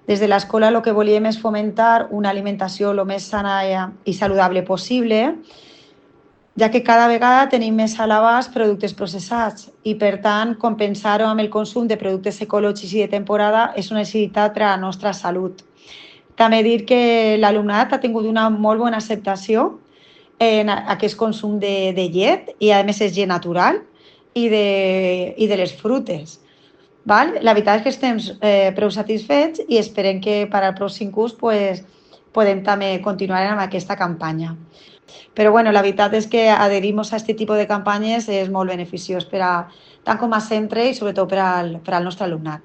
Des de l'escola el que volíem és fomentar una alimentació el més sana i saludable possible, ja que cada vegada tenim més a l'abast productes processats i, per tant, compensar-ho amb el consum de productes ecològics i de temporada és una necessitat per a la nostra salut. També dir que l'alumnat ha tingut una molt bona acceptació en aquest consum de llet i, a més, és llet natural i de les frutes. Val? La veritat és que estem prou satisfets i esperem que per al pròxim curs pues, podem també continuar amb aquesta campanya. Però bueno, la veritat és que adherir-nos a aquest tipus de campanyes és molt beneficiós per a, tant com a centre i sobretot per al nostre alumnat.